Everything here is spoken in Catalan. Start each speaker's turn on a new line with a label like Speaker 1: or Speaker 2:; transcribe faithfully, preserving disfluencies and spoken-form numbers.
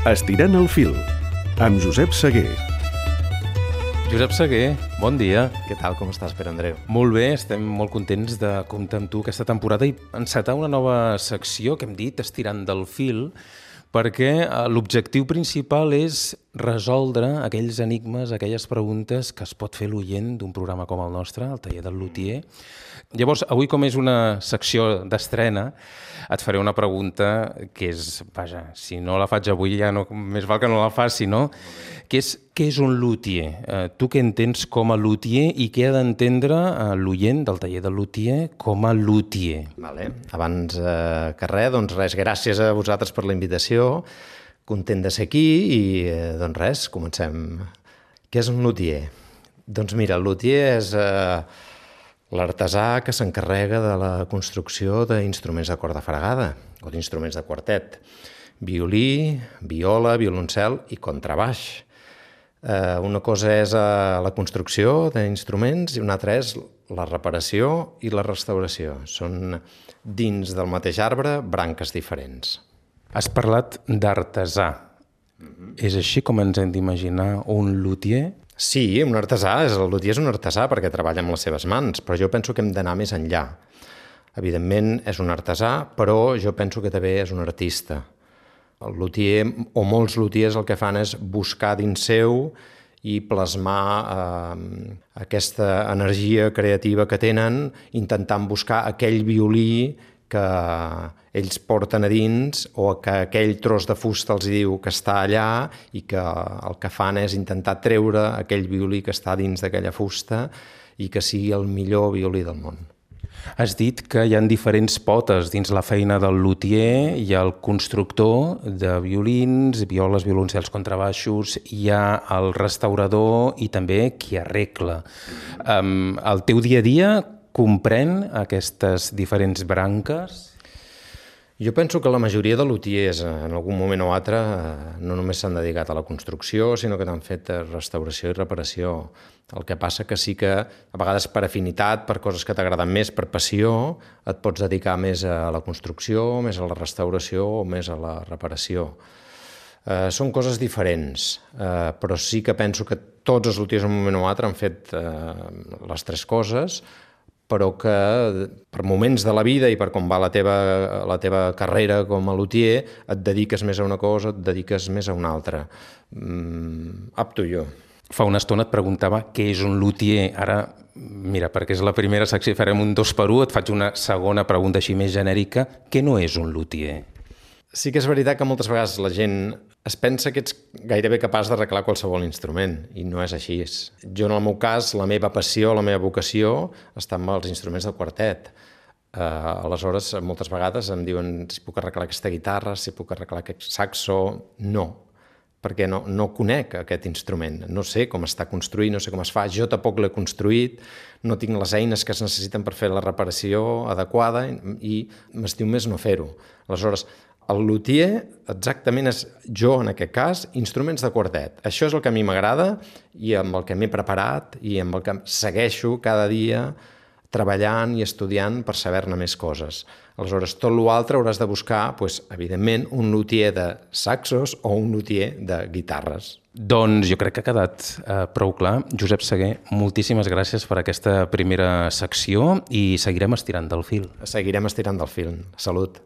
Speaker 1: Estirant el fil, amb Josep Seguer.
Speaker 2: Josep Seguer, bon dia.
Speaker 3: Què tal, com estàs, Pere Andreu?
Speaker 2: Molt bé, estem molt contents de comptar amb tu aquesta temporada i encetar una nova secció que hem dit Estirant del fil, perquè l'objectiu principal és resoldre aquells enigmes, aquelles preguntes que es pot fer l'oient d'un programa com el nostre, el Taller del Lutier. Llavors, avui, com és una secció d'estrena, et faré una pregunta que és, vaja, si no la faig avui ja no, més val que no la faci, no? Que és, què és un lutier? Eh, tu què entens com a lutier i què ha d'entendre eh, l'oient del Taller del Lutier com a lutier?
Speaker 3: Vale. Abans eh, que res, doncs res, gràcies a vosaltres per la invitació, content de ser aquí i eh, doncs res, comencem. Què és un lutier? Doncs mira, el lutier és eh, l'artesà que s'encarrega de la construcció d'instruments de corda fregada o d'instruments de quartet. Violí, viola, violoncel i contrabaix. Eh, una cosa és eh, la construcció d'instruments i una altra és la reparació i la restauració. Són dins del mateix arbre branques diferents.
Speaker 2: Has parlat d'artesà. Mm-hmm. És així com ens hem d'imaginar un lutier?
Speaker 3: Sí, un artesà, és, el lutier és un artesà perquè treballa amb les seves mans, però jo penso que hem d'anar més enllà. Evidentment és un artesà, però jo penso que també és un artista. El lutier, o molts lutiers, el que fan és buscar dins seu i plasmar eh, aquesta energia creativa que tenen, intentant buscar aquell violí que ells porten a dins o que aquell tros de fusta els diu que està allà i que el que fan és intentar treure aquell violí que està dins d'aquella fusta i que sigui el millor violí del món.
Speaker 2: Has dit que hi ha diferents potes dins la feina del lutier. Hi ha el constructor de violins, violes, violoncels, contrabaixos, hi ha el restaurador i també qui arregla. Um, el teu dia a dia comprèn aquestes diferents branques?
Speaker 3: Jo penso que la majoria de lutiers en algun moment o altre no només s'han dedicat a la construcció, sinó que han fet restauració i reparació. El que passa que sí que a vegades per afinitat, per coses que t'agraden més, per passió, et pots dedicar més a la construcció, més a la restauració o més a la reparació. Eh, són coses diferents, eh, però sí que penso que tots els lutiers en un moment o altre han fet eh, les tres coses, però que per moments de la vida i per com va la teva, la teva carrera com a lutier, et dediques més a una cosa, et dediques més a una altra. Mm, up to you.
Speaker 2: Fa una estona et preguntava què és un lutier. Ara, mira, perquè és la primera secció, farem un dos per un, et faig una segona pregunta així més genèrica. Què no és un lutier?
Speaker 3: Sí que és veritat que moltes vegades la gent es pensa que ets gairebé capaç d'arreglar qualsevol instrument, i no és així. Jo, en el meu cas, la meva passió, la meva vocació està amb els instruments de quartet. Uh, aleshores, moltes vegades em diuen si puc arreglar aquesta guitarra, si puc arreglar aquest saxo. No, perquè no, no conec aquest instrument. No sé com està construït, no sé com es fa. Jo tampoc l'he construït, no tinc les eines que es necessiten per fer la reparació adequada i m'estiu més no fer-ho. Aleshores, el lutier exactament és, jo en aquest cas, instruments de quartet. Això és el que a mi m'agrada i amb el que m'he preparat i amb el que segueixo cada dia treballant i estudiant per saber-ne més coses. Aleshores, tot l'altre hauràs de buscar, doncs, evidentment, un lutier de saxos o un lutier de guitarres.
Speaker 2: Doncs jo crec que ha quedat eh, prou clar. Josep Seguer, moltíssimes gràcies per aquesta primera secció i seguirem estirant del fil.
Speaker 3: Seguirem estirant del fil. Salut.